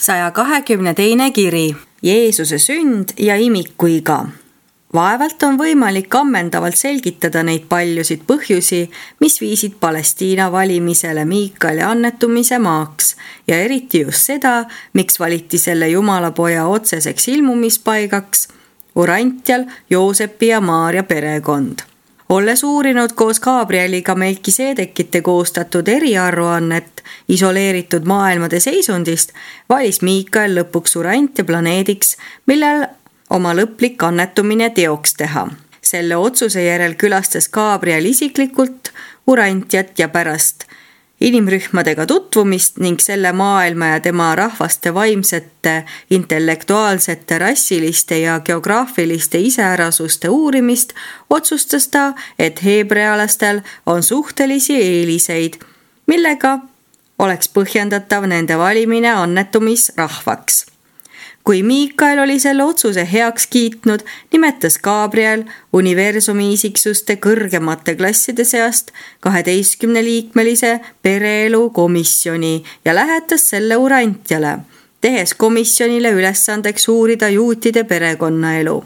122. kiri. Jeesuse sünd ja imikuiga. Vaevalt on võimalik ammendavalt selgitada neid paljusid põhjusi, mis viisid Palestiina valimisele Miikali annetumise maaks ja eriti just seda, miks valiti selle Jumalapoja otseseks ilmumispaigaks Urantial Joosepi ja Maaria perekond. Olles uurinud koos Gabrieliga Melkiseedekite koostatud eriaruannet isoleeritud maailmade seisundist, valis Miikael lõpuks Urantia planeediks, millel oma lõplik annetumine teoks teha. Selle otsuse järel külastas Gabriel isiklikult Urantiat ja pärast inimrühmadega tutvumist ning selle maailma ja tema rahvaste vaimsete, intellektuaalsete, rassiliste ja geograafiliste iseärasuste uurimist otsustas ta, et heebrealastel on suhtelisi eeliseid, millega oleks põhjendatav nende valimine annetumisrahvaks. Kui Miikael oli selle otsuse heaks kiitnud, nimetas Gabriel universumi isiksuste kõrgemate klasside seast 12-liikmelise pereelu komisjoni ja lähetas selle Urantiale, tehes komisjonile ülesandeks uurida juutide perekonnaelu.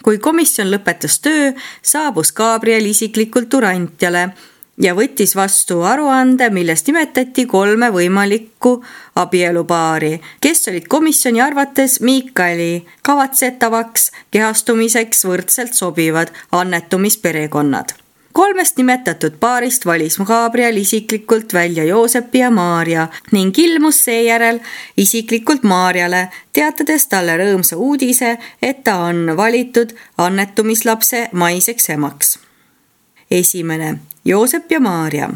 Kui komisjon lõpetas töö, saabus Gabriel isiklikult Urantiale ja võttis vastu aruande, milles nimetati 3 võimalikku abielupaari, kes olid komisjoni arvates Miikaeli kavatsetavaks kehastumiseks võrdselt sobivad annetumisperekonnad. 3 nimetatud paarist valis Gabriel isiklikult välja Joosepi ja Maaria ning ilmus seejärel isiklikult Maariale, teatades talle rõõmsa uudise, et ta on valitud annetumislapse maiseks emaks. 1. Joosep ja Maaria.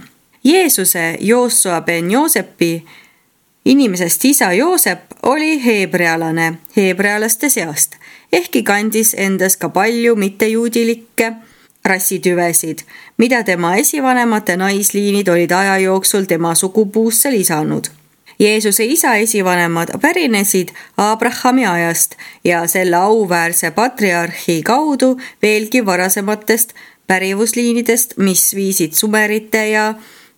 Jeesuse Joosua ben Joosepi inimesest isa Joosep oli heebrealane heebrealaste seast, ehkki kandis endas ka palju mittejuudilikke rassitüvesid, mida tema esivanemate naisliinid olid aja jooksul tema sugupuusse lisanud. Jeesuse isa esivanemad pärinesid Abrahami ajast ja selle auväärse patriarhi kaudu veelgi varasematest pärivusliinidest, mis viisid sumerite ja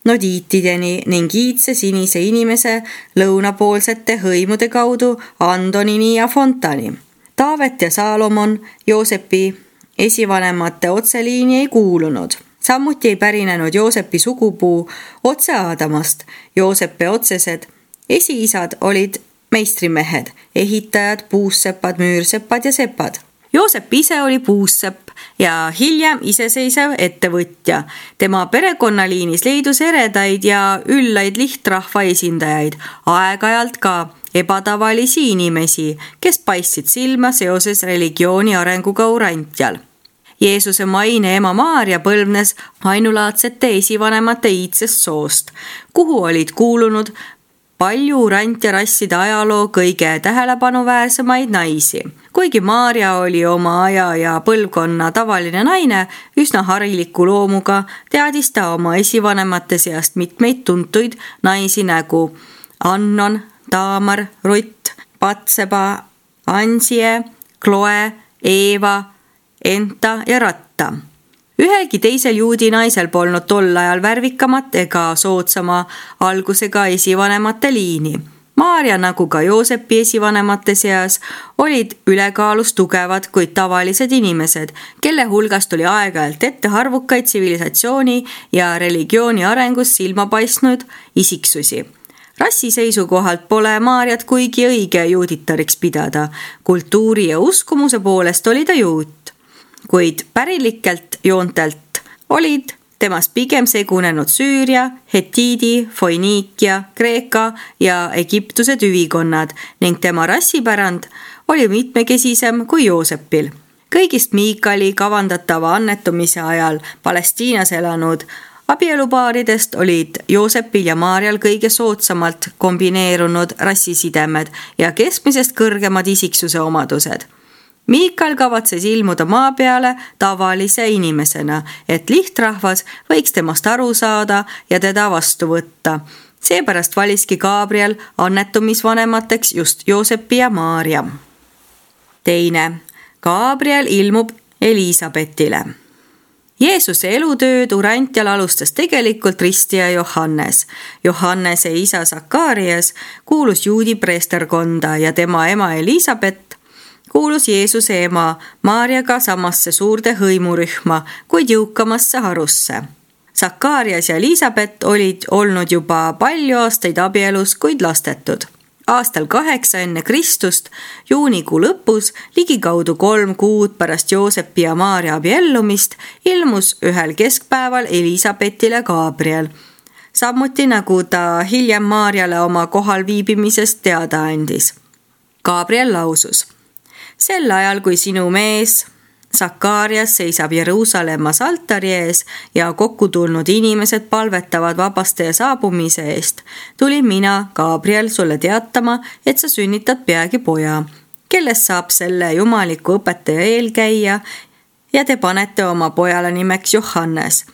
nodiitideni ning iidse sinise inimese lõunapoolsete hõimude kaudu Andonini ja Fontani. Taavet ja Saalomon Joosepi esivanemate otseliini ei kuulunud. Samuti ei pärinenud Joosepi sugupuu otse Aadamast. Joosepi otsesed esiisad olid meistrimehed, ehitajad, puussepad, müürseppad ja sepad. Joosep ise oli puussepp ja hiljem iseseisev ettevõtja. Tema perekonnaliinis leidus eredaid ja üllaid lihtrahva esindajaid, aeg-ajalt ka ebatavalisi inimesi, kes paistsid silma seoses religiooni arenguga Urantial. Jeesuse maine ema Maaria põlvnes ainulaadsete esivanemate iidsest soost, kuhu olid kuulunud palju Urantia rasside ajaloo kõige tähelepanuväärsemaid naisi. Kuigi Maaria oli oma aja ja põlvkonna tavaline naine, üsna hariliku loomuga, teadis ta oma esivanemate seast mitmeid tuntuid naisi nägu Annon, Taamar, Rutt, Patseba, Ansie, Kloe, Eeva, Enta ja Ratta. Ühelgi teisel juudi naisel polnud tol ajal värvikamat ega soodsama algusega esivanemate liini. Maaria nagu ka Joosepi esivanemate seas olid ülekaalus tugevad, kuid tavalised inimesed, kelle hulgast oli aeg-ajalt ette harvukaid tsivilisatsiooni ja religiooni arengus silma paistnud isiksusi. Rassi seisukohalt pole Maariat kuigi õige juuditariks pidada. Kultuuri ja uskumuse poolest oli ta juut, kuid pärilikelt joontelt olid temast pigem segunenud Süüria, Hetiidi, Foiniikia, Kreeka ja Egiptuse tüvikonnad ning tema rassipärand oli mitmekesisem kui Joosepil. Kõigist Miikali kavandatava annetumise ajal Palestiinas elanud abielupaaridest olid Joosepil ja Maarial kõige soodsamalt kombineerunud rassisidemed ja keskmisest kõrgemad isiksuse omadused. Miikal kavatses ilmuda maa peale tavalise inimesena, et lihtrahvas võiks temast aru saada ja teda vastu võtta. Seepärast valiski Gabriel annetumisvanemateks just Joosepi ja Maaria. 2. Gabriel ilmub Elisabetile. Jeesuse elutööd Urantjal alustas tegelikult ristija Johannes. Johannese isa Sakarias kuulus juudi preesterkonda ja tema ema Elisabet kuulus Jeesuse ema Maarjaga samasse suurde hõimurühma, kuid jõukamasse harusse. Sakarias ja Elisabet olid olnud juba palju aastaid abielus, kuid lastetud. Aastal 8 enne Kristust, juunikuu lõpus, ligikaudu 3 kuud pärast Joosepi ja Maarja abiellumist, ilmus ühel keskpäeval Elisabetile Gabriel. Samuti nagu ta hiljem Maarjale oma kohal viibimisest teada andis. Gabriel lausus: sel ajal, kui sinu mees Sakarias seisab Jeruusalemmas altari ees ja kokku tulnud inimesed palvetavad vabastaja saabumise eest, tulin mina, Gabriel, sulle teatama, et sa sünnitad peagi poja, kellest saab selle jumaliku õpetaja eelkäija ja te panete oma pojale nimeks Johannes.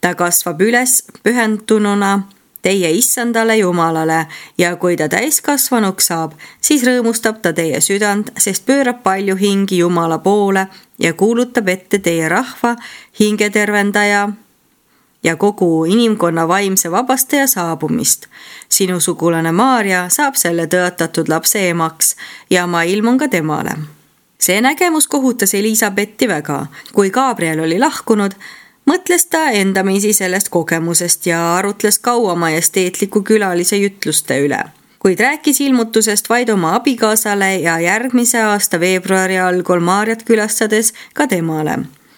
Ta kasvab üles pühendununa teie issandale Jumalale ja kui ta täiskasvanuks saab, siis rõõmustab ta teie südant, sest pöörab palju hingi Jumala poole ja kuulutab ette teie rahva hingetervendaja ja kogu inimkonna vaimse vabastaja saabumist. Sinu sugulane Maarja saab selle tõotatud lapse emaks ja ma ilmun ka temale. See nägemus kohutas Elisabetti väga. Kui Gabriel oli lahkunud, mõtles ta endamisi sellest kogemusest ja arutles kaua majesteetliku külalise jutluste üle. Kuid rääkis ilmutusest vaid oma abikaasale ja järgmise aasta veebruari algul Maarjat külastades ka temale.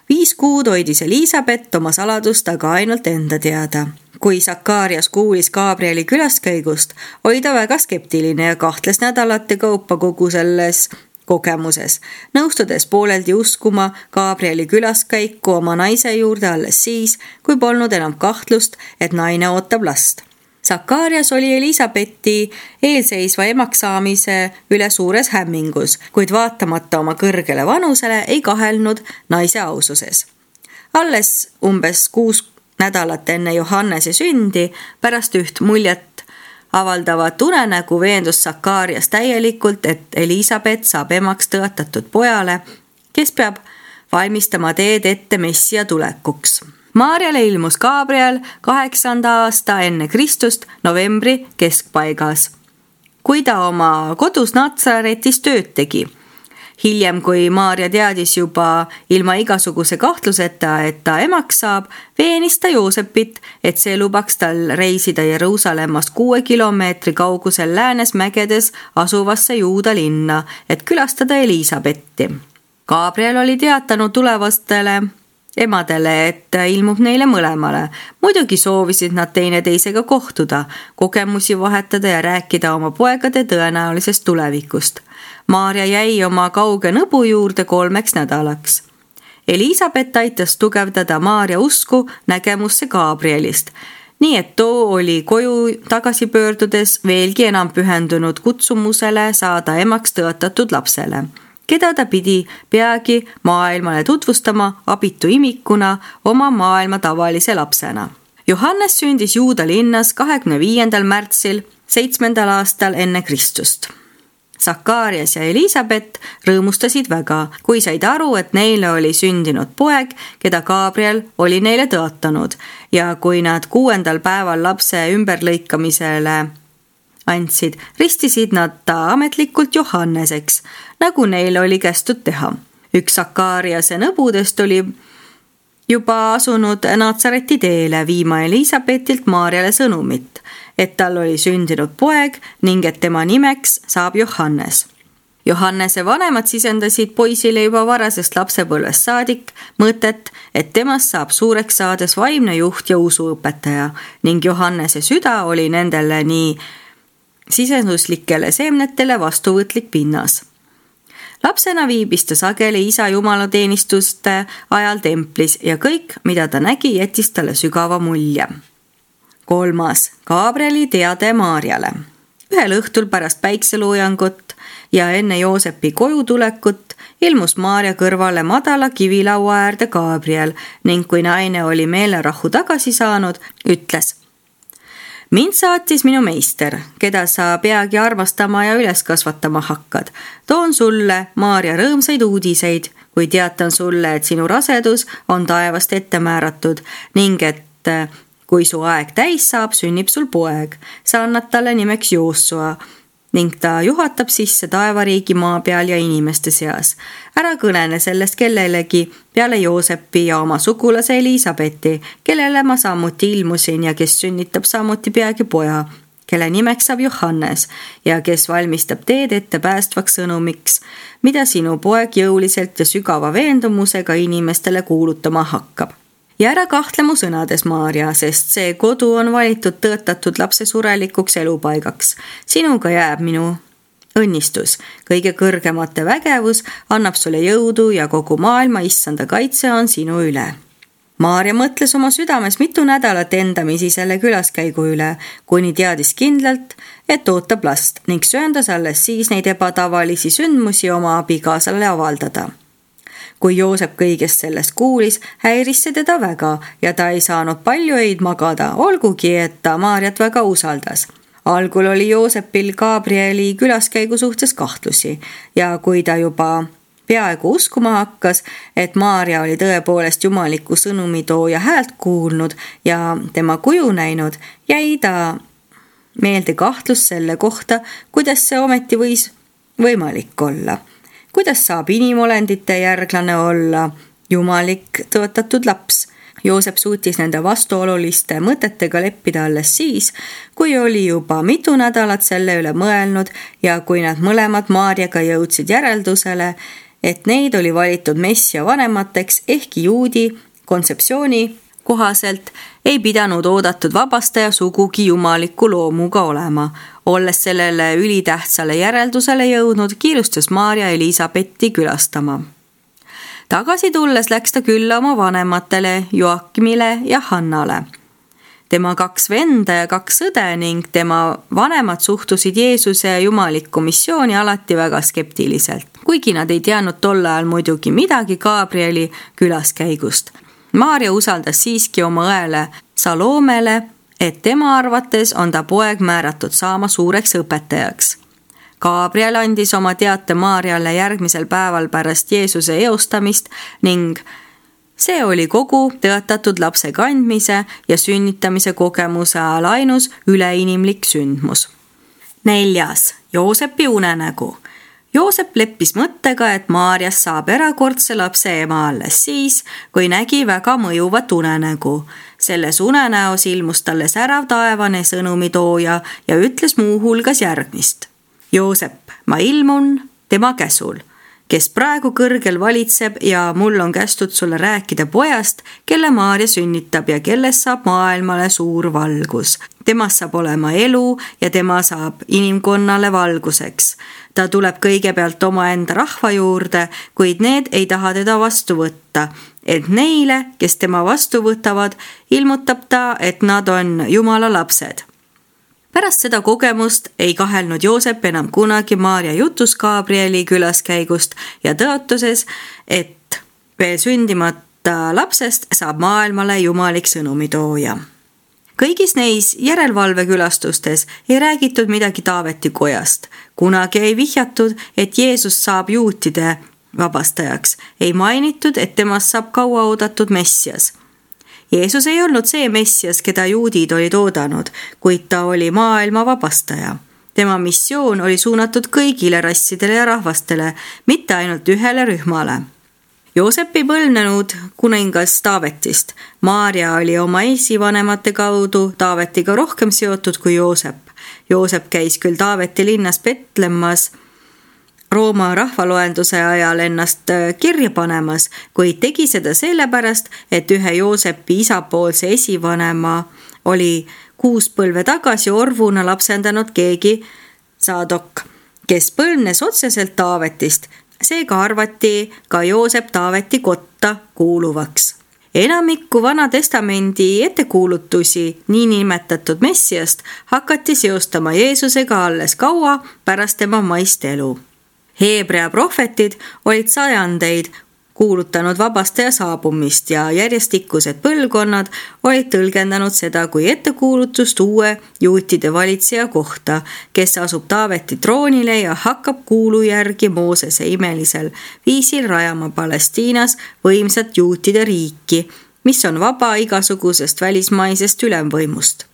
5 kuud hoidis Elisabet oma saladust aga ainult enda teada. Kui Sakarias kuulis Gabrieli külaskäigust, oli ta väga skeptiline ja kahtles nädalate kaupa kogu selles kogemuses, nõustudes pooleldi uskuma Gabrieli külaskäiku oma naise juurde alles siis, kui polnud enam kahtlust, et naine ootab last. Sakarias oli Elisabetti eelseisva emaks saamise üle suures hämmingus, kuid vaatamata oma kõrgele vanusele ei kahelnud naise aususes. Alles umbes 6 nädalat enne Johannese sündi, pärast üht muljet avaldavat unenägu veendus Sakarias täielikult, et Elisabet saab emaks tõotatud pojale, kes peab valmistama teed ette Messia tulekuks. Maarjale ilmus Gabriel 8. aasta enne Kristust novembri keskpaigas, kui ta oma kodus Natsaretis tööd tegi. Hiljem, kui Maarja teadis juba ilma igasuguse kahtluseta, et ta emaks saab, veenis ta Joosepit, et see lubaks tal reisida Jeruusalemmast 6 kilomeetri kaugusel läänes mägedes asuvasse Juuda linna, et külastada Elisabetti. Gabriel oli teatanud tulevastele emadele, et ilmub neile mõlemale. Muidugi soovisid nad teineteisega kohtuda, kogemusi vahetada ja rääkida oma poegade tõenäolisest tulevikust. Maarja jäi oma kauge nõbu juurde 3 nädalaks. Elisabet aitas tugevdada Maarja usku nägemusse Gabrielist, nii et too oli koju tagasi pöördudes veelgi enam pühendunud kutsumusele saada emaks tõotatud lapsele, keda ta pidi peagi maailmale tutvustama abitu imikuna oma maailma tavalise lapsena. Johannes sündis Juuda linnas 25. märtsil 7. aastal enne Kristust. Sakarias ja Elisabet rõõmustasid väga, kui said aru, et neile oli sündinud poeg, keda Gabriel oli neile tõotanud ja kui nad 6. päeval lapse ümberlõikamisele andsid, ristisid nad ta ametlikult Johanneseks, nagu neile oli kästud teha. Üks Sakariase nõbudest oli juba asunud Natsareti teele viima Elisabetilt Maarjale sõnumit, et tal oli sündinud poeg ning et tema nimeks saab Johannes. Johannese vanemad sisendasid poisile juba varasest lapsepõlvest saadik mõtet, et temast saab suureks saades vaimne juht ja usuõpetaja ning Johannese süda oli nendele nii sisenduslikele seemnetele vastuvõtlik pinnas. Lapsena viibis ta sageli isa jumalateenistuste ajal templis ja kõik, mida ta nägi, jättis talle sügava mulje. 3. Gabrieli teade Maarjale. Ühel õhtul pärast päikseloojangut ja enne Joosepi koju tulekut ilmus Maarja kõrvale madala kivilaua äärde Gabriel ning kui naine oli meelerahu tagasi saanud, ütles: mind saatis minu meister, keda sa peagi armastama ja üles kasvatama hakkad. Toon sulle, Maarja, rõõmsaid uudiseid, kui teatan sulle, et sinu rasedus on taevast ette määratud ning et kui su aeg täis saab, sünnib sul poeg. Sa annad talle nimeks Joosua ning ta juhatab sisse taevariigi maa peal ja inimeste seas. Ära kõnene sellest kellelegi peale Joosepi ja oma sugulase Elisabeti, kellele ma samuti ilmusin ja kes sünnitab samuti peagi poja, kelle nimeks saab Johannes ja kes valmistab teed ette päästvaks sõnumiks, mida sinu poeg jõuliselt ja sügava veendumusega inimestele kuulutama hakkab. Ja ära kahtle mu sõnades, Maarja, sest see kodu on valitud tõotatud lapse surelikuks elupaigaks. Sinuga jääb minu õnnistus. Kõige kõrgemate vägevus annab sulle jõudu ja kogu maailma issanda kaitse on sinu üle. Maarja mõtles oma südames mitu nädalat endamisi selle külaskäigu üle, kuni teadis kindlalt, et ootab last ning söandas alles siis neid ebatavalisi sündmusi oma abikaasale avaldada. Kui Joosep kõigest sellest kuulis, häiris see teda väga ja ta ei saanud palju öid magada, olgugi et ta Maarjat väga usaldas. Algul oli Joosepil Gabrieli külaskäigu suhtes kahtlusi ja kui ta juba peaaegu uskuma hakkas, et Maarja oli tõepoolest jumaliku sõnumitooja häält kuulnud ja tema kuju näinud, jäi ta meelde kahtlus selle kohta, kuidas see ometi võis võimalik olla. Kuidas saab inimolendite järglane olla jumalik tõotatud laps? Joosep suutis nende vastuoluliste mõtetega leppida alles siis, kui oli juba mitu nädalat selle üle mõelnud ja kui nad mõlemad Maarjaga jõudsid järeldusele, et neid oli valitud messia vanemateks, ehkki juudi kontseptsiooni kohaselt ei pidanud oodatud vabastaja sugugi jumaliku loomuga olema. Olles sellele ülitähtsale järeldusele jõudnud, kiirustas Maarja Elisabetti külastama. Tagasi tulles läks ta külla oma vanematele Joakimile ja Hannale. Tema 2 venda ja 2 õde ning tema vanemad suhtusid Jeesuse jumaliku missiooni alati väga skeptiliselt, kuigi nad ei teadnud tol ajal muidugi midagi Gabrieli külaskäigust. Maarja usaldas siiski oma õele Salomele, et tema arvates on ta poeg määratud saama suureks õpetajaks. Gabriel andis oma teate Maarjale järgmisel päeval pärast Jeesuse eostamist ning see oli kogu tõotatud lapse kandmise ja sünnitamise kogemuse ajal ainus üleinimlik sündmus. 4. Joosepi unenägu. Joosep leppis mõttega, et Maarjast saab erakordse lapse ema alles siis, kui nägi väga mõjuvat unenägu. Selles unenäos ilmus talle särav taevane sõnumitooja ja ütles muu hulgas järgmist. Joosep, ma ilmun tema käsul, kes praegu kõrgel valitseb ja mul on kästud sulle rääkida pojast, kelle Maarja sünnitab ja kellest saab maailmale suur valgus. Temast saab olema elu ja tema saab inimkonnale valguseks. Ta tuleb kõigepealt omaenda rahva juurde, kuid need ei taha teda vastu võtta, et neile, kes tema vastu võtavad, ilmutab ta, et nad on Jumala lapsed. Pärast seda kogemust ei kahelnud Joosep enam kunagi Maarja jutus Gabrieli külaskäigust ja tõotuses, et veel sündimata lapsest saab maailmale jumalik sõnumitooja. Kõigis neis järelevalvekülastustes ei räägitud midagi Taaveti kojast. Kunagi ei vihjatud, et Jeesus saab juutide vabastajaks. Ei mainitud, et temast saab kaua oodatud messias. Jeesus ei olnud see messias, keda juudid olid oodanud, kuid ta oli maailma vabastaja. Tema missioon oli suunatud kõigile rassidele ja rahvastele, mitte ainult ühele rühmale. Joosep ei põlvnenud kuningas Taavetist. Maarja oli oma esivanemate kaudu Taavetiga rohkem seotud kui Joosep. Joosep käis küll Taaveti linnas Betlemmas Rooma rahvaloenduse ajal ennast kirja panemas, kuid tegi seda sellepärast, et ühe Joosepi isapoolse esivanema oli 6 põlve tagasi orvuna lapsendanud keegi Saadok, kes põlvnes otseselt Taavetist. Seega arvati ka Joosep Taaveti kotta kuuluvaks. Enamikku Vana Testamendi ettekuulutusi niinimetatud messiast hakati seostama Jeesusega alles kaua pärast tema maist elu. Heebrea prohvetid olid sajandeid kuulutanud vabastaja saabumist ja järjestikused põlvkonnad olid tõlgendanud seda kui ettekuulutust uue juutide valitseja kohta, kes asub Taaveti troonile ja hakkab kuulu järgi Moosese imelisel viisil rajama Palestiinas võimsat juutide riiki, mis on vaba igasugusest välismaisest ülemvõimust.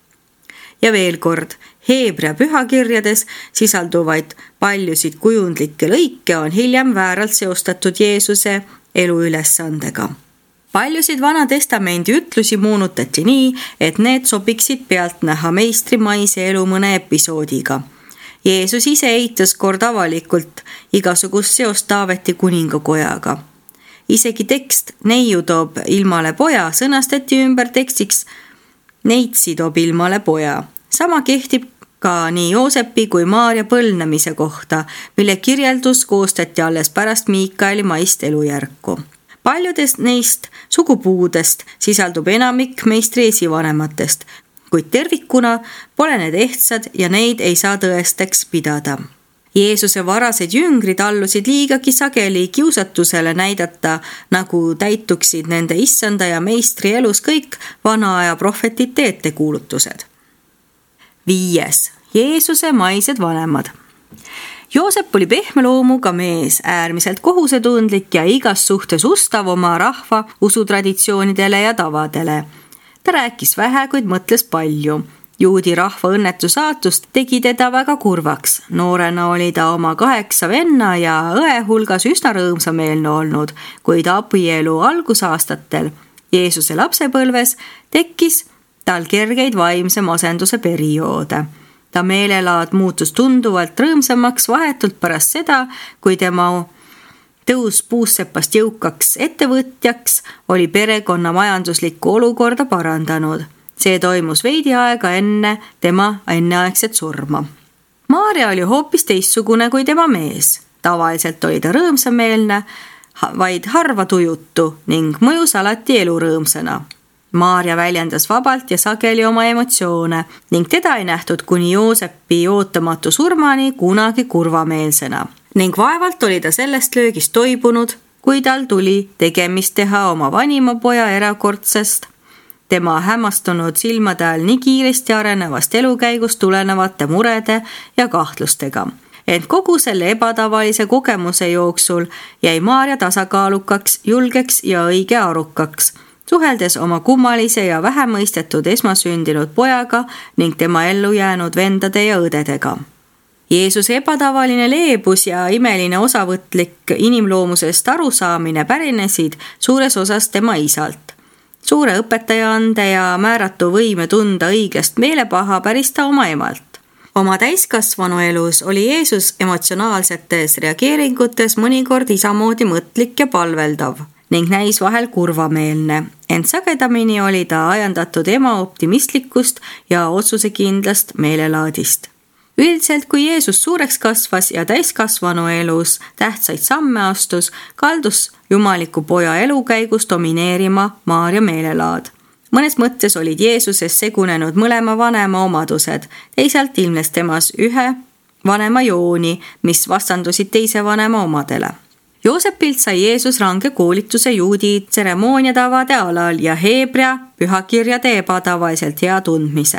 Ja veel kord, Heebrea pühakirjades sisalduvaid paljusid kujundlikke lõike on hiljem vääralt seostatud Jeesuse eluülesandega. Paljusid Vana Testamendi ütlusi moonutati nii, et need sobiksid pealtnäha meistrimaise elu mõne episoodiga. Jeesus ise eitas kord avalikult igasugust seost Taaveti kuningakojaga. Isegi tekst neiu toob ilmale poja sõnastati ümber tekstiks neitsi toob ilmale poja. Sama kehtib ka nii Joosepi kui Maaria põlvnemise kohta, mille kirjeldus koostati alles pärast Miikaeli maist elujärku. Paljudest neist sugupuudest sisaldub enamik meistri esivanematest, kuid tervikuna pole need ehtsad ja neid ei saa tõesteks pidada. Jeesuse varased jüngrid allusid liigagi sageli kiusatusele näidata, nagu täituksid nende issanda ja meistri elus kõik vana aja prohvetite ettekuulutused. 5. Jeesuse maised vanemad. Joosep oli pehme loomuga mees, äärmiselt kohusetundlik ja igas suhtes ustav oma rahva usutraditsioonidele ja tavadele. Ta rääkis vähe, kuid mõtles palju. Juudi rahva õnnetu saatust tegi teda väga kurvaks. Noorena oli ta oma 8 venna ja õe hulgas üsna rõõmsameelne olnud, kuid abielu algusaastatel Jeesuse lapsepõlves tekkis tal kergeid vaimse masenduse perioode. Ta meelelaad muutus tunduvalt rõõmsamaks vahetult pärast seda, kui tema tõus puussepast jõukaks ettevõtjaks oli perekonna majanduslikku olukorda parandanud. See toimus veidi aega enne tema enneaegset surma. Maaria oli hoopis teistsugune kui tema mees. Tavaliselt oli ta rõõmsameelne, vaid harva tujutu ning mõjus alati elurõõmsana. Maaria väljendas vabalt ja sageli oma emotsioone ning teda ei nähtud kuni Joosepi ootamatu surmani kunagi kurvameelsena. Ning vaevalt oli ta sellest löögist toibunud, kui tal tuli tegemist teha oma vanima poja erakordsest, tema hämmastunud silmade all nii kiiresti arenevast elukäigust tulenevate murede ja kahtlustega. Ent kogu selle ebatavalise kogemuse jooksul jäi Maaria tasakaalukaks, julgeks ja õige arukaks, suheldes oma kummalise ja vähemõistetud esmasündinud pojaga ning tema ellu jäänud vendade ja õdedega. Jeesuse ebatavaline leebus ja imeline osavõtlik inimloomusest arusaamine pärinesid suures osas tema isalt. Suure õpetajaande ja määratu võime tunda õigest meelepaha päris ta oma emalt. Oma täiskasvanu elus oli Jeesus emotsionaalsetes reageeringutes mõnikord isamoodi mõtlik ja palveldav ning näis vahel kurvameelne, ent sagedamini oli ta ajandatud ema optimistlikust ja otsusekindlast meelelaadist. Üldiselt, kui Jeesus suureks kasvas ja täiskasvanu elus tähtsaid samme astus, kaldus jumaliku poja elukäigus domineerima Maaria meelelaad. Mõnes mõttes olid Jeesuses segunenud mõlema vanema omadused, teisalt ilmnes temas ühe vanema jooni, mis vastandusid teise vanema omadele. Joosepilt sai Jeesus range koolituse juudi tseremooniatavade alal ja Heebrea pühakirjade ebatavaiselt hea tundmise.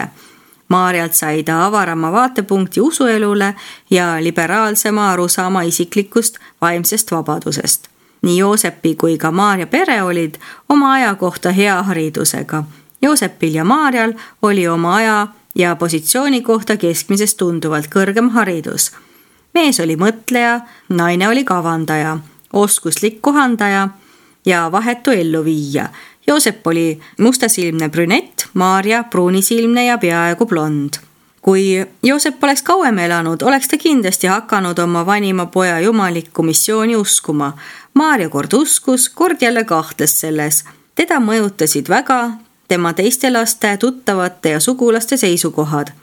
Maarialt sai ta avarama vaatepunkti usuelule ja liberaalsema arusaama isiklikust vaimsest vabadusest. Nii Joosepi kui ka Maaria pere olid oma aja kohta hea haridusega. Joosepil ja Maarial oli oma aja ja positsiooni kohta keskmisest tunduvalt kõrgem haridus. Mees oli mõtleja, naine oli kavandaja, oskuslik kohandaja ja vahetu elluviija. Joosep oli mustasilmne brünett, Maaria pruunisilmne ja peaaegu blond. Kui Joosep oleks kauem elanud, oleks ta kindlasti hakanud oma vanima poja jumalikku missiooni uskuma. Maaria kord uskus, kord jälle kahtles selles. Teda mõjutasid väga tema teiste laste, tuttavate ja sugulaste seisukohad.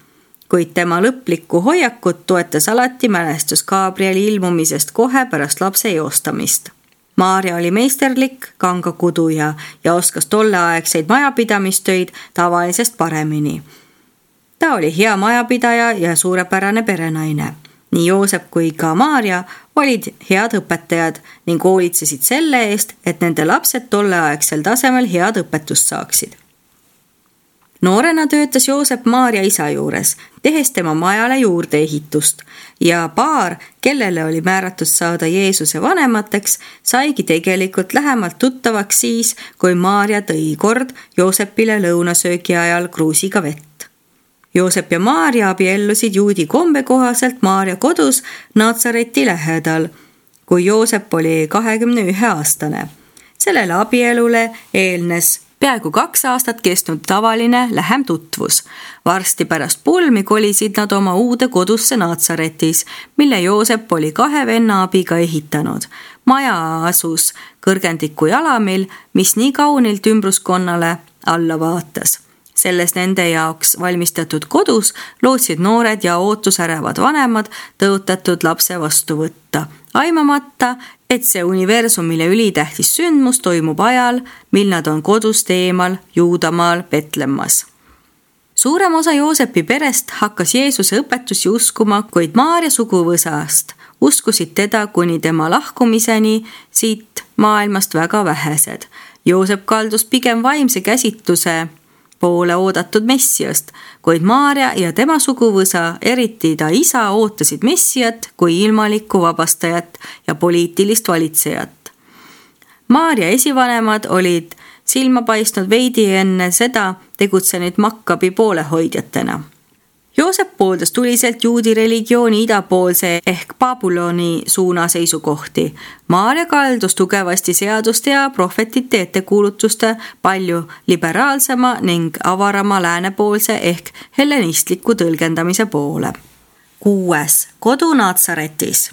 Kuid tema lõplikku hoiakut toetas alati mälestus Gabrieli ilmumisest kohe pärast lapse eostamist. Maaria oli meisterlik kangakuduja ja oskas tolleaegseid majapidamistöid tavalisest paremini. Ta oli hea majapidaja ja suurepärane perenaine. Nii Joosep kui ka Maarja olid head õpetajad ning hoolitsesid selle eest, et nende lapsed tolleaegsel tasemel head õpetust saaksid. Noorena töötas Joosep Maarja isa juures, tehes tema majale juurdeehitust ja paar, kellele oli määratud saada Jeesuse vanemateks, saigi tegelikult lähemalt tuttavaks siis, kui Maarja tõi kord Joosepile lõunasöögi ajal kruusiga vett. Joosep ja Maarja abiellusid juudi kombe kohaselt Maarja kodus Natsareti lähedal, kui Joosep oli 21-aastane. Sellele abielule eelnes peaaegu 2 aastat kestnud tavaline lähem tutvus. Varsti pärast pulmi kolisid nad oma uude kodusse Natsaretis, mille Joosep oli 2 venna abiga ehitanud. Maja asus kõrgendiku jalamil, mis nii kaunilt ümbruskonnale alla vaatas. Selles nende jaoks valmistatud kodus lootsid noored ja ootusärevad vanemad tõotatud lapse vastu võtta, aimamata, et see universumile ülitähtis sündmus toimub ajal, mil nad on kodust eemal Juudamaal Betlemmas. Suurem osa Joosepi perest hakkas Jeesuse õpetusi uskuma, kuid Maarja suguvõsast uskusid teda kuni tema lahkumiseni siit maailmast väga vähesed. Joosep kaldus pigem vaimse käsitluse poole oodatud messiast, kuid Maarja ja tema suguvõsa, eriti ta isa, ootasid messiat kui ilmalikku vabastajat ja poliitilist valitsejat. Maarja esivanemad olid silma paistnud veidi enne seda tegutsenud Makkabi poolehoidjatena. Joosep pooldas tuliselt juudi religiooni idapoolse ehk Babyloni suuna seisukohti. Maarja kaldus tugevasti seaduste ja prohvetite ettekuulutuste palju liberaalsema ning avarama läänepoolse ehk hellenistliku tõlgendamise poole. 6. Kodu Natsaretis.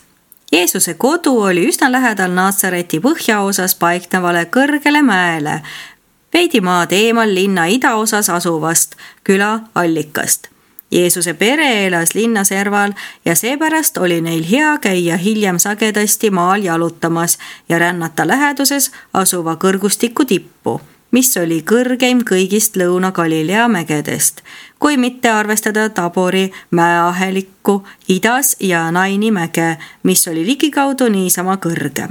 Jeesuse kodu oli üsna lähedal Natsareti põhjaosas paiknevale kõrgele mäele, veidi maad eemal linna idaosas asuvast küla Allikast. Jeesuse pere elas linna serval ja seepärast oli neil hea käia hiljem sagedasti maal jalutamas ja rännata läheduses asuva kõrgustiku tippu, mis oli kõrgeim kõigist Lõuna-Galilea mägedest, kui mitte arvestada Tabori mäeahelikku idas ja Naini mäge, mis oli ligikaudu niisama kõrge.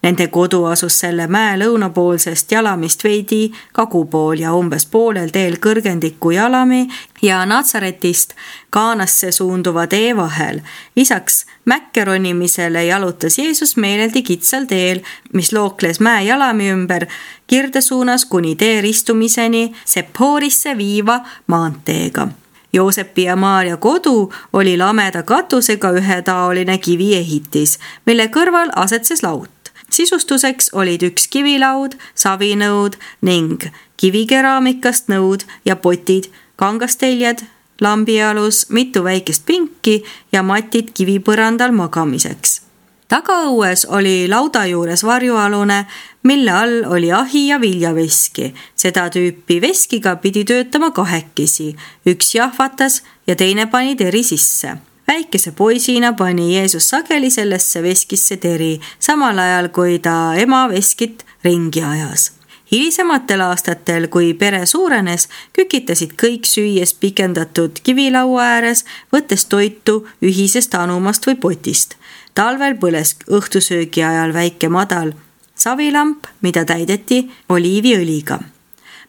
Nende kodu asus selle mäe lõunapoolsest jalamist veidi kagupool ja umbes poolel teel kõrgendiku jalami ja Natsaretist Kaanasse suunduva tee vahel. Lisaks mäkke ronimisele jalutas Jeesus meeleldi kitsal teel, mis lookles mäe jalami ümber kirde suunas kuni tee ristumiseni Sephoorisse viiva maanteega. Joosepi ja Maarja kodu oli lameda katusega ühetaoline kiviehitis, mille kõrval asetses laut. Sisustuseks olid üks kivilaud, savinõud ning kivikeraamikast nõud ja potid, kangasteljed, lambialus, mitu väikest pinki ja matid kivipõrandal magamiseks. Tagaõues oli lauda juures varjualune, mille all oli ahi ja viljaveski. Seda tüüpi veskiga pidi töötama 2, üks jahvatas ja teine pani teri sisse. Väikese poisina pani Jeesus sageli sellesse veskisse teri, samal ajal kui ta ema veskit ringi ajas. Hilisematel aastatel, kui pere suurenes, kükitasid kõik süües pikendatud kivilaua ääres, võttes toitu ühisest anumast või potist. Talvel põles õhtusöögi ajal väike madal savilamp, mida täideti oliiviõliga.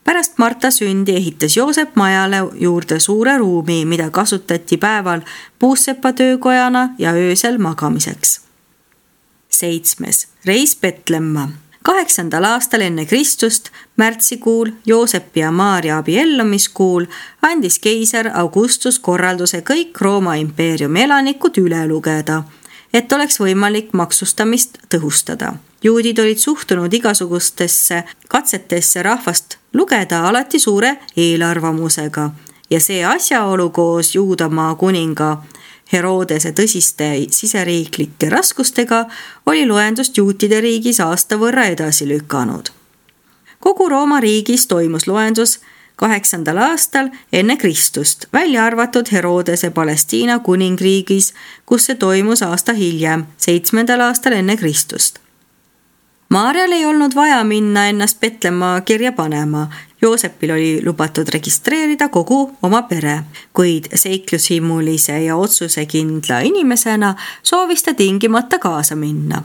Pärast Marta sündi ehitas Joosep majale juurde suure ruumi, mida kasutati päeval puussepa töökojana ja öösel magamiseks. 7. Reis Betlemma. 8. aastal enne Kristust, märtsikuul, Joosepi ja Maarja abiellumiskuul, andis keiser Augustus korralduse kõik Rooma impeeriumi elanikud üle lugeda, et oleks võimalik maksustamist tõhustada. Juudid olid suhtunud igasugustesse katsetesse rahvast lugeda alati suure eelarvamusega ja see asjaolu koos Juudamaa kuninga Herodese tõsiste siseriiklike raskustega oli loendust juutide riigis aasta võrra edasi lükanud. Kogu Rooma riigis toimus loendus 8. aastal enne Kristust, välja arvatud Herodese Palestiina kuningriigis, kus see toimus aasta hiljem, 7. aastal enne Kristust. Maarjal ei olnud vaja minna ennast Betlemma kirja panema. Joosepil oli lubatud registreerida kogu oma pere, kuid seiklushimulise ja otsusekindla inimesena soovis ta tingimata kaasa minna.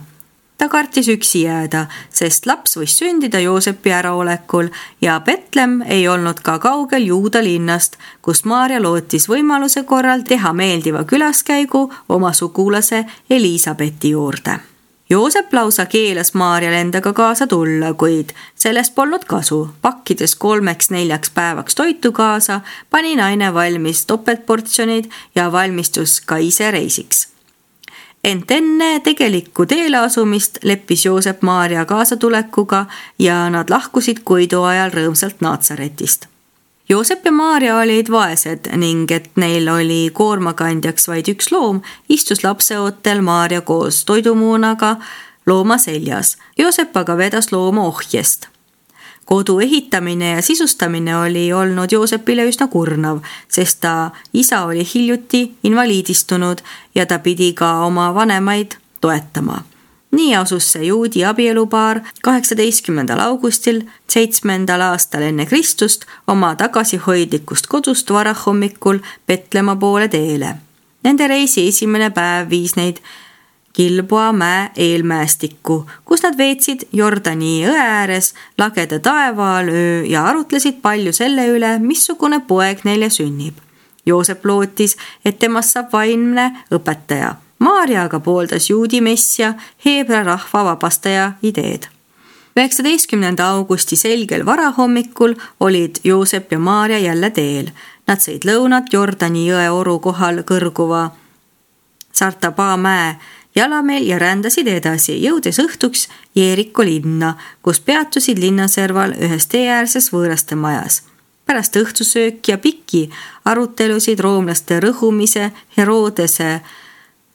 Ta kartis üksi jääda, sest laps võis sündida Joosepi äraolekul ja Betlem ei olnud ka kaugel Juuda linnast, kus Maarja lootis võimaluse korral teha meeldiva külaskäigu oma sugulase Elisabethi juurde. Joosep lausa keelas Maarjal endaga kaasa tulla, kuid sellest polnud kasu. Pakkides 3-4 päevaks toitu kaasa, pani naine valmis topeltportsjonid ja valmistus ka ise reisiks. Ent enne tegelikku teele asumist leppis Joosep Maarja kaasatulekuga ja nad lahkusid Koidu ajal rõõmsalt Naatsaretist. Joosep ja Maarja olid vaesed ning et neil oli koormakandjaks vaid üks loom, istus lapseootel Maarja koos toidumuunaga looma seljas. Joosep aga vedas looma ohjest. Kodu ehitamine ja sisustamine oli olnud Joosepile üsna kurnav, sest ta isa oli hiljuti invaliidistunud ja ta pidi ka oma vanemaid toetama. Nii asus see juudi abielupaar 18. augustil 7. aastal enne Kristust oma tagasihoidlikust kodust varahommikul Petlemma poole teele. Nende reisi esimene päev viis neid Gilboa mäe eelmäestikku, kus nad veetsid Jordani õe ääres lageda taeva all öö ja arutlesid palju selle üle, missugune poeg neile sünnib. Joosep lootis, et temast saab vaimne õpetaja. Maarja aga pooldas juudi messia, heebra rahva vabastaja ideed. 19. augusti selgel varahommikul olid Joosep ja Maarja jälle teel. Nad sõid lõunat Jordani jõe oru kohal kõrguva Sartaba mäe jalameel ja rändasid edasi, jõudes õhtuks Jeeriko linna, kus peatusid linnaserval ühes teeäärses võõraste majas. Pärast õhtusööki ja pikki arutelusid roomlaste rõhumise, Herodese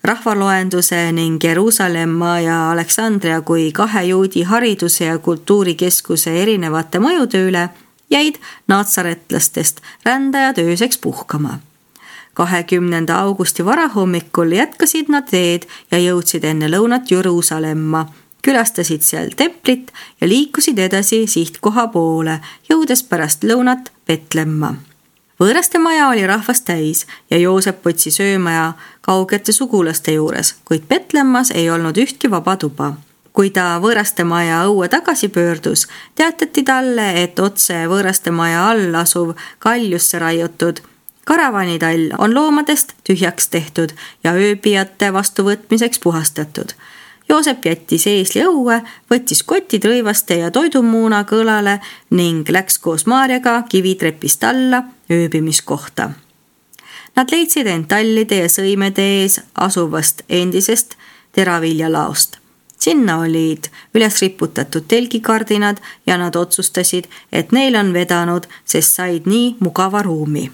rahvaloenduse ning Jeruusalemma ja Aleksandria kui 2 juudi hariduse ja kultuurikeskuse erinevate mõjude üle jäid naatsaretlastest rändajad ööseks puhkama. 20. augusti varahommikul jätkasid nad teed ja jõudsid enne lõunat Jeruusalemma, külastasid seal templit ja liikusid edasi sihtkoha poole, jõudes pärast lõunat Petlemma. Võõraste maja oli rahvast täis ja Joosep otsi söömaja kaugete sugulaste juures, kuid Petlemmas ei olnud ühtki vaba tuba. Kui ta võõraste maja õue tagasi pöördus, teatati talle, et otse võõraste maja all asuv kaljusse raiutud karavanitall on loomadest tühjaks tehtud ja ööbijate vastuvõtmiseks puhastatud. Joosep jättis eesli õue, võttis kotid rõivaste ja toidumuuna kõlale ning läks koos Maarjaga kivitrepist alla ööbimiskohta. Nad leidsid end tallide ja sõimede ees asuvast endisest teraviljalaost. Sinna olid üles riputatud telgikardinad ja nad otsustasid, et neil on vedanud, sest said nii mugava ruumi.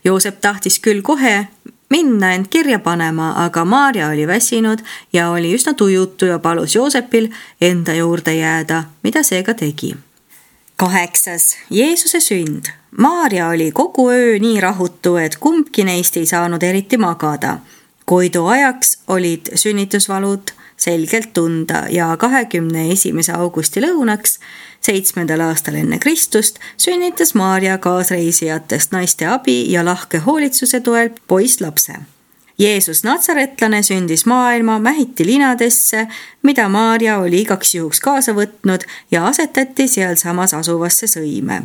Joosep tahtis küll kohe minna end kirja panema, aga Maarja oli väsinud ja oli üsna tujutu ja palus Joosepil enda juurde jääda, mida see ka tegi. 8. Jeesuse sünd. Maarja oli kogu öö nii rahutu, et kumbki neist ei saanud eriti magada. Koidu ajaks olid sünnitusvalud selgelt tunda ja 21. augusti lõunaks 7. aastal enne Kristust sünnitas Maarja kaasreisijatest naiste abi ja lahke hoolitsuse toel poisslapse. Jeesus natsaretlane sündis maailma mähiti linadesse, mida Maarja oli igaks juhuks kaasa võtnud ja asetati sealsamas asuvasse sõime.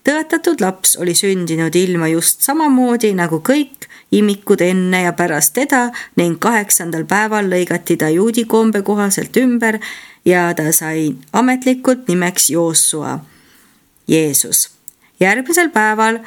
Tõotatud laps oli sündinud ilma just samamoodi nagu kõik imikud enne ja pärast teda ning 8. päeval lõigati ta juudi kombe kohaselt ümber ja ta sai ametlikult nimeks Joosua, Jeesus. Järgmisel päeval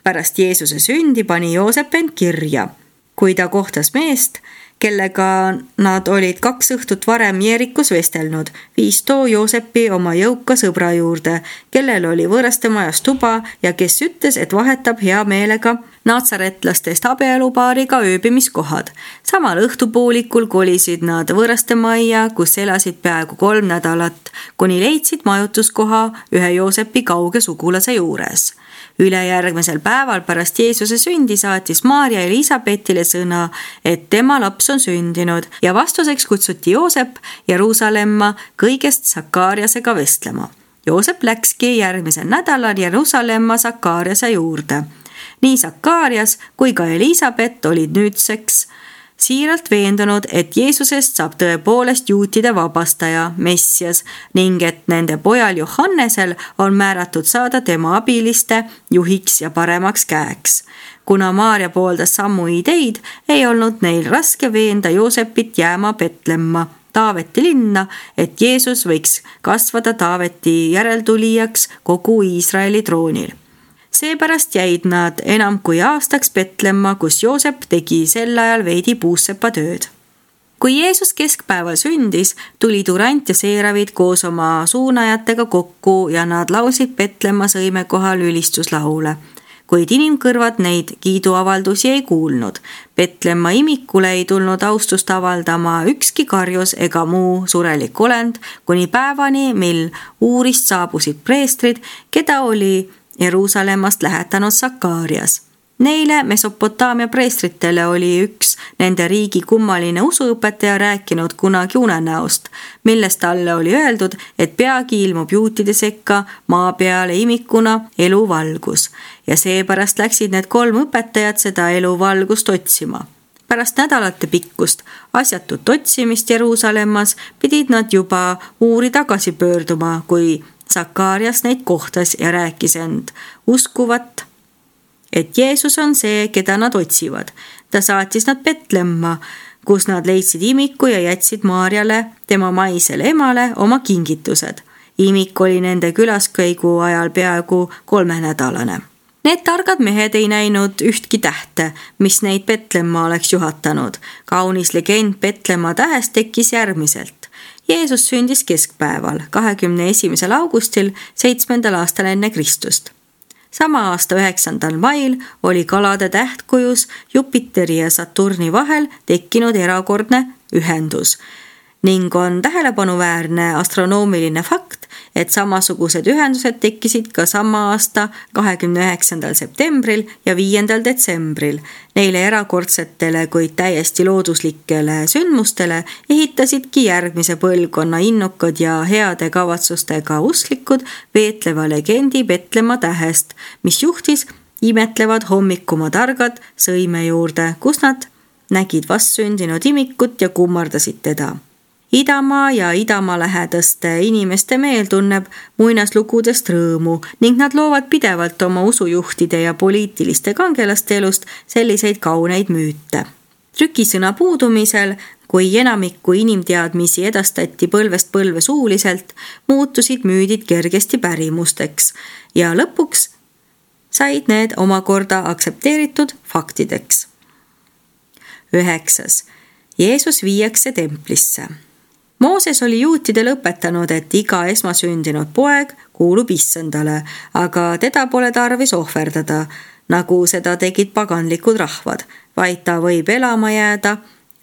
pärast Jeesuse sündi pani Joosep end kirja. Kui ta kohtas meest, kellega nad olid 2 õhtut varem Jeerikus vestelnud, viis too Joosepi oma jõuka sõbra juurde, kellel oli võõraste majas tuba ja kes ütles, et vahetab hea meelega naatsaretlastest abielupaariga ööbimiskohad. Samal õhtupoolikul kolisid nad võõraste majja, kus elasid peaaegu 3 nädalat, kuni leidsid majutuskoha ühe Joosepi kauge sugulase juures. Ülejärgmisel päeval pärast Jeesuse sündi saatis Maarja Elisabethile sõna, et tema laps on sündinud ja vastuseks kutsuti Joosep Jeruusalemma kõigest Sakariasega vestlema. Joosep läkski järgmisel nädalal Jeruusalemma Sakariase juurde. Nii Sakarias kui ka Elisabet olid nüüdseks siiralt veendunud, et Jeesusest saab tõepoolest juutide vabastaja, Messias, ning et nende pojal Johannesel on määratud saada tema abiliste juhiks ja paremaks käeks. Kuna Maarja pooldas samu ideid, ei olnud neil raske veenda Joosepit jääma Betlemma, Taaveti linna, et Jeesus võiks kasvada Taaveti järeltulijaks kogu Iisraeli troonil. Seepärast jäid nad enam kui aastaks Betlemma, kus Joosep tegi sel ajal veidi puussepa tööd. Kui Jeesus keskpäeval sündis, tulid Urant ja Seeravid koos oma suunajatega kokku ja nad laulsid Betlemma sõime kohal ülistuslaule. Kuid inimkõrvad neid kiiduavaldusi ei kuulnud. Betlemma imikule ei tulnud austust avaldama ükski karjus ega muu surelik olend, kuni päevani, mil uurist saabusid preestrid, keda oli Jeruusalemmast lähetanud Sakarias. Neile Mesopotaamia preestritele oli üks nende riigi kummaline usuõpetaja rääkinud kunagi unenäost, milles talle oli öeldud, et peagi ilmub juutide sekka maa peale imikuna eluvalgus ja seepärast läksid need 3 õpetajat seda eluvalgust otsima. Pärast nädalate pikkust asjatut otsimist Jeruusalemmas pidid nad juba uuri tagasi pöörduma, kui Sakarias neid kohtas ja rääkis end uskuvat, et Jeesus on see, keda nad otsivad. Ta saatis nad Betlemma, kus nad leidsid imiku ja jätsid Maarjale, tema maisele emale, oma kingitused. Imik oli nende külaskäigu ajal peaaegu 3-nädalane. Need targad mehed ei näinud ühtki tähte, mis neid Betlemma oleks juhatanud. Kaunis legend Betlemma tähest tekkis järgmiselt. Jeesus sündis keskpäeval, 21. augustil 7. aastal enne Kristust. Sama aasta 9. mail oli kalade tähtkujus Jupiteri ja Saturni vahel tekkinud erakordne ühendus ning on tähelepanuväärne astronoomiline fakt, et samasugused ühendused tekkisid ka sama aasta 29. septembril ja 5. detsembril. Neile erakordsetele, kuid täiesti looduslikele sündmustele ehitasidki järgmise põlvkonna innukad ja heade kavatsustega usklikud veetleva legendi Betlemma tähest, mis juhtis imetlevad hommikuma targad sõime juurde, kus nad nägid vastsündinud imikut ja kummardasid teda. Idamaa ja Idamaa lähedaste inimeste meel tunneb muinaslugudest rõõmu ning nad loovad pidevalt oma usujuhtide ja poliitiliste kangelaste elust selliseid kauneid müüte. Trükisõna puudumisel, kui enamikku inimteadmisi edastati põlvest põlve suuliselt, muutusid müüdid kergesti pärimusteks ja lõpuks said need omakorda aktsepteeritud faktideks. 9. Jeesus viiakse templisse. Mooses oli juutidele õpetanud, et iga esmasündinud poeg kuulub Issandale, aga teda pole tarvis ohverdada, nagu seda tegid paganlikud rahvad, vaid ta võib elama jääda,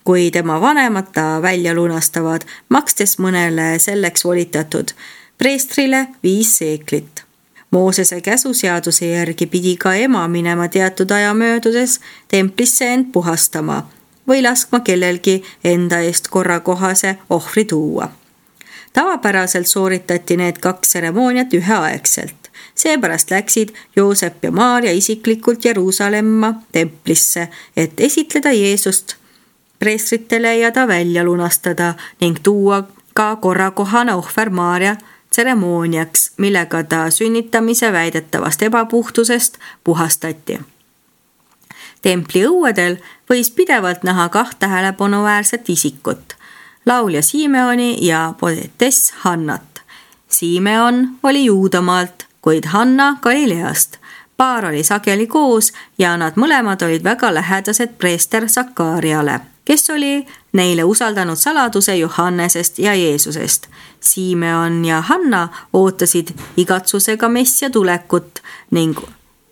kui tema vanemad ta välja lunastavad, makstes mõnele selleks volitatud preestrile 5 seeklit. Moosese käsuseaduse järgi pidi ka ema minema teatud aja möödudes templisse end puhastama või laskma kellelgi enda eest korrakohase ohvri tuua. Tavapäraselt sooritati need 2 tseremooniat üheaegselt. Seepärast läksid Joosep ja Maarja isiklikult Jeruusalemma templisse, et esitleda Jeesust preestritele ja ta välja lunastada ning tuua ka korrakohane ohver Maarja tseremooniaks, millega ta sünnitamise väidetavast ebapuhtusest puhastati. Templi õuedel võis pidevalt näha 2 tähelepanuväärset isikut, laulja Simeoni ja poetess Hannat. Simeon oli Juudamaalt, kuid Hanna Galileast. Paar oli sageli koos ja nad mõlemad olid väga lähedased preester Sakariale, kes oli neile usaldanud saladuse Johannesest ja Jeesusest. Simeon ja Hanna ootasid igatsusega Messia tulekut ning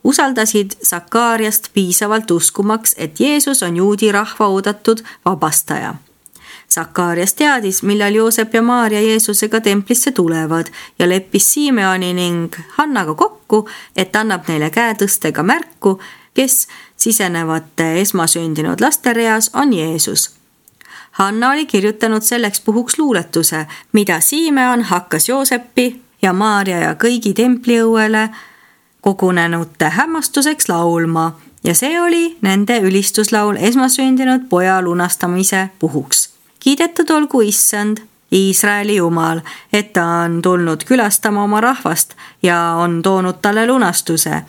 usaldasid Sakariast piisavalt uskumaks, et Jeesus on juudi rahva oodatud vabastaja. Sakarias teadis, millal Joosep ja Maarja Jeesusega templisse tulevad ja leppis Simeoni ning Hannaga kokku, et annab neile käetõstega märku, kes sisenevate esmasündinud laste reas on Jeesus. Hanna oli kirjutanud selleks puhuks luuletuse, mida Simeon hakkas Joosepi ja Maarja ja kõigi templiõuele kogunenute hämmastuseks laulma ja see oli nende ülistuslaul esmasündinud poja lunastamise puhuks. Kiidetud olgu Issand, Iisraeli Jumal, et ta on tulnud külastama oma rahvast ja on toonud talle lunastuse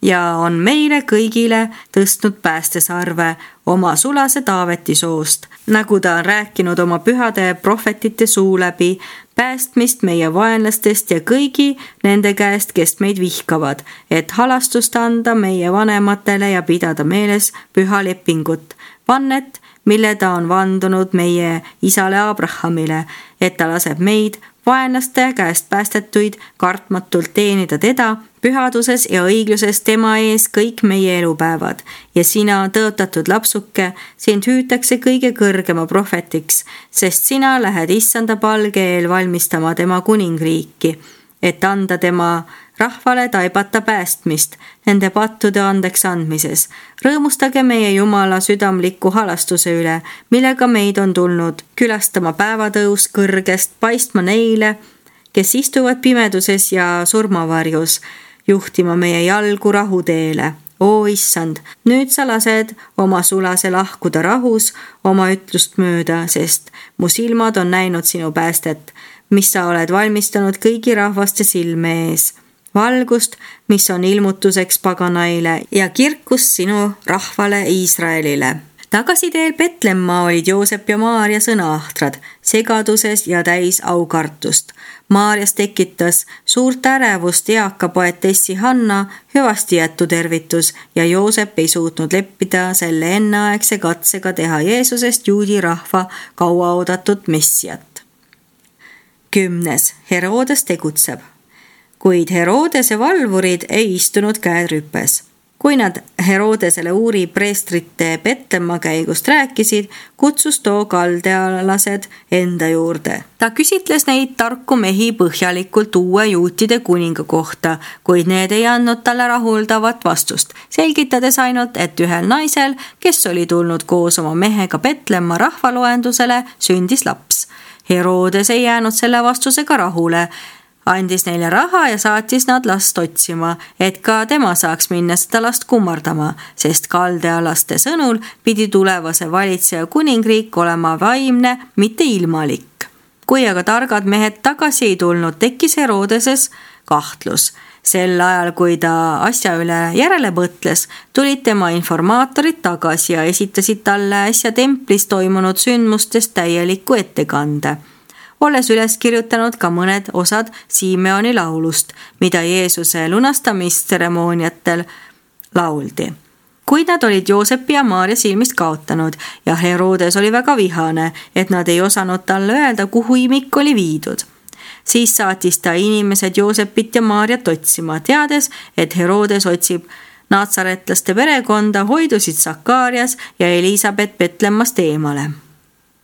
ja on meile kõigile tõstnud päästesarve oma sulase Taaveti soost, nagu ta on rääkinud oma pühade prohvetite suu läbi, päästmist meie vaenlastest ja kõigi nende käest, kes meid vihkavad, et halastust anda meie vanematele ja pidada meeles püha lepingut, vannet, mille ta on vandunud meie isale Abrahamile, et ta laseb meid, vaenlaste käest päästetuid, kartmatult teenida teda pühaduses ja õigluses tema ees kõik meie elupäevad. Ja sina, tõotatud lapsuke, sind hüütakse kõige kõrgema prohvetiks, sest sina lähed Issanda palge eel valmistama tema kuningriiki, et anda tema rahvale taibata päästmist nende pattude andeks andmises. Rõõmustage meie Jumala südamliku halastuse üle, millega meid on tulnud külastama päevatõus kõrgest paistma neile, kes istuvad pimeduses ja surmavarjus, juhtima meie jalgu rahuteele. O Issand, nüüd sa lased oma sulase lahkuda rahus oma ütlust mööda, sest mu silmad on näinud sinu päästet, mis sa oled valmistanud kõigi rahvaste silme ees. Valgust, mis on ilmutuseks paganaile ja kirkus sinu rahvale Iisraelile. Tagasiteel Petlemma olid Joosep ja Maarja sõnaahtrad, segaduses ja täis aukartust. Maarjas tekitas suurt ärevust eaka poetessi Hanna hüvasti jättu tervitus ja Joosep ei suutnud leppida selle enneaegse katsega teha Jeesusest juudi rahva kauaoodatud messiat. 10. Herodes tegutseb. Kuid Herodese valvurid ei istunud käed rüpes. Kui nad Herodesele uuri preestrite Petlemma käigust rääkisid, kutsus too kaldealased enda juurde. Ta küsitles neid tarku mehi põhjalikult uue juutide kuninga kohta, kuid need ei andnud talle rahuldavat vastust, selgitades ainult, et ühel naisel, kes oli tulnud koos oma mehega Petlemma rahvaloendusele, sündis laps. Herodes ei jäänud selle vastusega rahule, andis neile raha ja saatis nad last otsima, et ka tema saaks minna seda last kummardama, sest kaldealaste sõnul pidi tulevase valitseja kuningriik olema vaimne, mitte ilmalik. Kui aga targad mehed tagasi ei tulnud, tekkis Herodeses kahtlus. Sel ajal, kui ta asja üle järele mõtles, tulid tema informaatorid tagasi ja esitasid talle äsja templis toimunud sündmustest täieliku ettekande. Olles üles kirjutanud ka mõned osad Simeoni laulust, mida Jeesuse lunastamistseremooniatel lauldi. Kuid nad olid Joosepi ja Maarja silmist kaotanud ja Herodes oli väga vihane, et nad ei osanud talle öelda, kuhu imik oli viidud. Siis saatis ta inimesed Joosepit ja Maarjat otsima, teades, et Herodes otsib natsaretlaste perekonda, hoidusid Sakarias ja Elisabet Petlemmast eemale.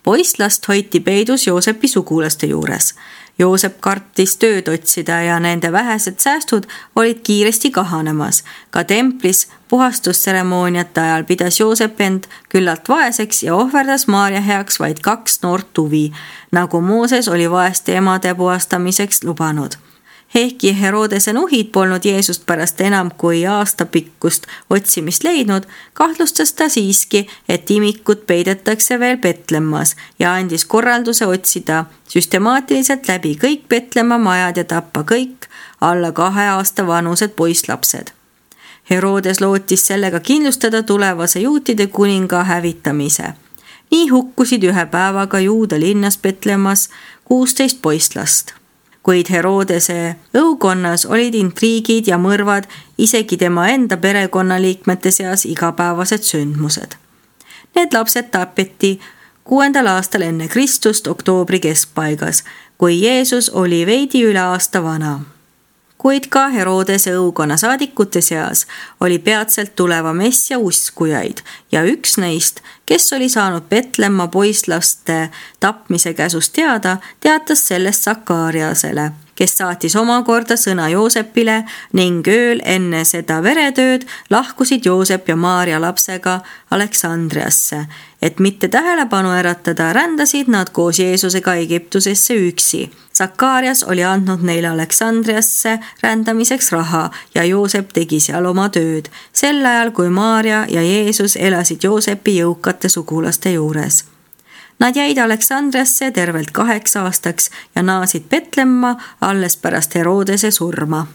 Poisslast hoiti peidus Joosepi sugulaste juures. Joosep kartis tööd otsida ja nende vähesed säästud olid kiiresti kahanemas. Ka templis puhastustseremooniate ajal pidas Joosep end küllalt vaeseks ja ohverdas Maarja heaks vaid 2 noort tuvi, nagu Mooses oli vaeste emade puhastamiseks lubanud. Ehkki Herodese nuhid polnud Jeesust pärast enam kui aastapikkust otsimist leidnud, kahtlustas ta siiski, et imikut peidetakse veel Petlemmas ja andis korralduse otsida süstemaatiliselt läbi kõik Petlemma majad ja tappa kõik alla 2 aasta vanused poisslapsed. Herodes lootis sellega kindlustada tulevase juutide kuninga hävitamise. Nii hukkusid ühe päevaga Juuda linnas Petlemmas 16 poisslast. Kuid Herodese õukonnas olid intriigid ja mõrvad isegi tema enda perekonnaliikmete seas igapäevased sündmused. Need lapsed tapeti 6. aastal enne Kristust oktoobri keskpaigas, kui Jeesus oli veidi üle aasta vana. Kuid ka Herodese õukonna saadikute seas oli peatselt tuleva messia uskujaid ja üks neist, kes oli saanud Petlemma poisslaste tapmise käsust teada, teatas sellest Sakariasele, kes saatis omakorda sõna Joosepile ning ööl enne seda veretööd lahkusid Joosep ja Maarja lapsega Aleksandriasse. Et mitte tähelepanu äratada, rändasid nad koos Jeesusega Egiptusesse üksi. Sakarias oli andnud neile Aleksandriasse rändamiseks raha ja Joosep tegi seal oma tööd, sel ajal kui Maarja ja Jeesus elasid Joosepi jõukate sugulaste juures. Nad jäid Aleksandriasse tervelt 8 aastaks ja naasid Petlemma alles pärast Herodese surma.